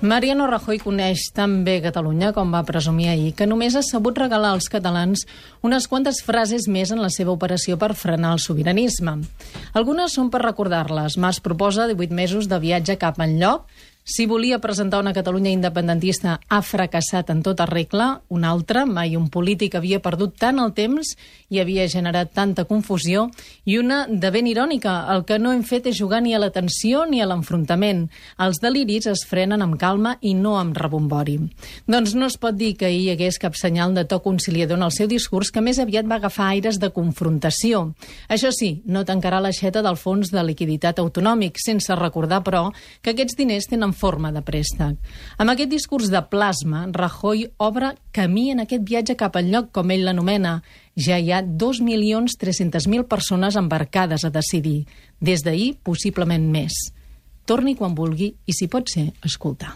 Mariano Rajoy coneix tan bé Catalunya, com va presumir ahir, que només ha sabut regalar als catalans unes quantes frases més en la seva operació per frenar el sobiranisme. Algunes són per recordar-les. Mas proposa 18 mesos de viatge cap enlloc. Si volia presentar una Catalunya independentista, ha fracassat en tota regla. Una altra, mai un polític havia perdut tant el temps i havia generat tanta confusió. I una de ben irònica, el que no hem fet és jugar ni a la tensió ni a l'enfrontament. Els deliris es frenen amb calma i no amb rebombori. Doncs no es pot dir que hi hagués cap senyal de to conciliador en el seu discurs, que més aviat va agafar aires de confrontació. Això sí, no tancarà l'aixeta del fons de liquiditat autonòmic, sense recordar, però, que aquests diners tenen forma de préstec. Amb aquest discurs de plasma, Rajoy obre camí en aquest viatge cap al lloc, com ell l'anomena. Ja hi ha 2.300.000 persones embarcades a decidir. Des d'ahir, possiblement més. Torni quan vulgui i, si pot ser, escoltar.